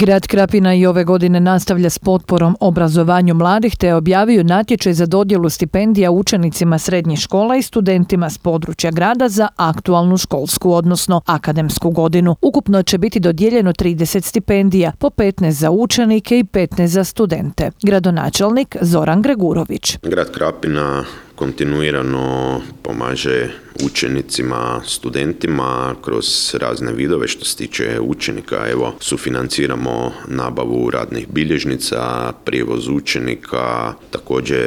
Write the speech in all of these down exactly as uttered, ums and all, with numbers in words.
Grad Krapina i ove godine nastavlja s potporom obrazovanju mladih te objavio natječaj za dodjelu stipendija učenicima srednjih škola i studentima s područja grada za aktualnu školsku, odnosno akademsku godinu. Ukupno će biti dodijeljeno trideset stipendija, po petnaest za učenike i petnaest za studente. Gradonačelnik Zoran Gregurović. Grad Krapina kontinuirano pomaže učenicima, studentima kroz razne vidove. Što se tiče učenika, evo, sufinanciramo nabavu radnih bilježnica, prijevoz učenika, također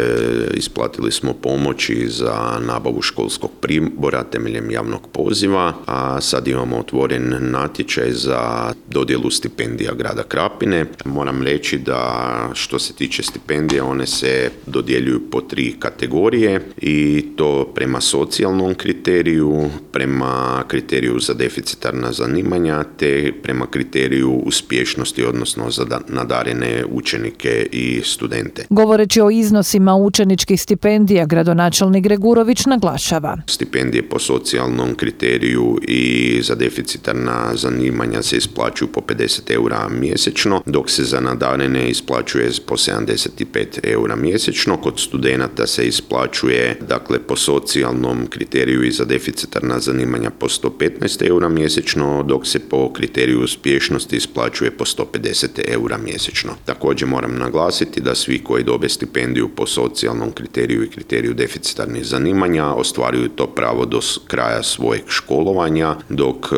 isplatili smo pomoći za nabavu školskog pribora temeljem javnog poziva, a sad imamo otvoren natječaj za dodjelu stipendija grada Krapine. Moram reći da što se tiče stipendija, one se dodjeljuju po tri kategorije i to prema socijalnom kriteriju, prema kriteriju za deficitarna zanimanja te prema kriteriju uspješnosti, odnosno za nadarene učenike i studente. Govoreći o iznosima učeničkih stipendija, gradonačelnik Gregurović naglašava: Stipendije po socijalnom kriteriju i za deficitarna zanimanja se isplaćuju po pedeset eura mjesečno, dok se za nadarene isplaćuje po sedamdeset pet eura mjesečno. Kod studenata se isplaćuje dakle po socijalnom kriteriju i za deficitarna zanimanja po sto petnaest eura mjesečno, dok se po kriteriju uspješnosti isplaćuje po sto pedeset eura mjesečno. Također moram naglasiti da svi koji dobe stipendiju po socijalnom kriteriju i kriteriju deficitarnih zanimanja ostvaruju to pravo do kraja svojeg školovanja, dok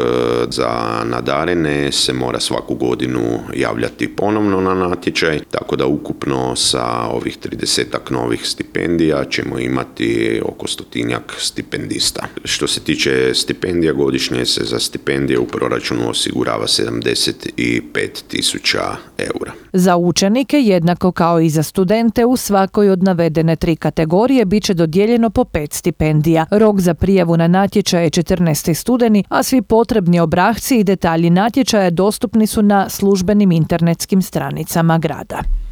za nadarene se mora svaku godinu javljati ponovno na natječaj, tako da ukupno sa ovih tridesetak novih stipendija ćemo imati oko stotinjak stipendista. Što se tiče stipendija, godišnje se za stipendije u proračunu osigurava sedamdeset pet tisuća eura. Za učenike, jednako kao i za studente, u svakoj od navedene tri kategorije bit će dodijeljeno po pet stipendija. Rok za prijavu na natječaj je četrnaesti studeni, a svi potrebni obrasci i detalji natječaja dostupni su na službenim internetskim stranicama grada.